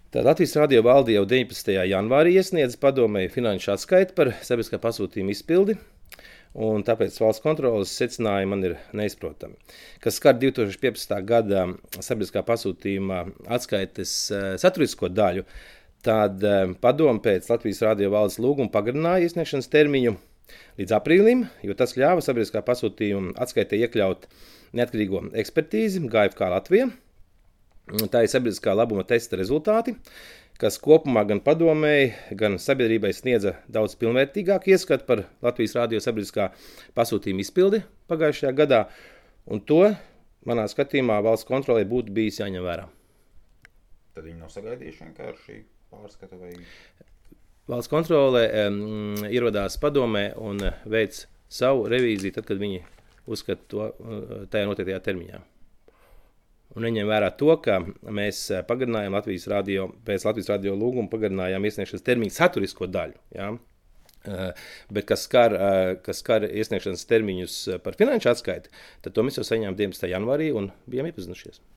Tā Latvijas radio valde jau 19. janvārī iesniedza padomei finanšu atskaiti par sabiedriskā pasūtījuma izpildi, un tāpēc valsts kontroles secinājumi man ir neizprotami. Kas skar 2015. gada sabiedriskā pasūtījuma atskaites saturisko daļu, tad padome pēc Latvijas radio valdes lūguma pagarināja iesniegšanas termiņu līdz aprīlim, jo tas ļāva sabiedriskā pasūtījuma atskaitē iekļaut neatkarīgo ekspertīzi GFK Latvija. Tā ir sabiedriskā labuma testa rezultāti, kas kopumā gan padomēji, gan sabiedrībai sniedza daudz pilnvērtīgāku ieskatu par Latvijas radio sabiedriskā pasūtījuma izpildi pagājušajā gadā, un to, manā skatījumā, valsts kontrolē būtu bijis jāņem vērā. Tad viņi nav sagaidījuši vienkārši pārskatu vai... Valsts kontrolē ierodās padomē un veic savu revīziju, tad, kad viņi uzskata to tajā noteiktajā termiņā. Un neņem vērā to, ka mēs pagarinājām pēc Latvijas radio lūguma pagarinājām iesniegšanas termiņu saturisko daļu. Ja? Bet kas skar iesniegšanas termiņus par finanšu atskaiti, tad to mēs jau saņēmām 19. janvārī un bijām iepazinušies.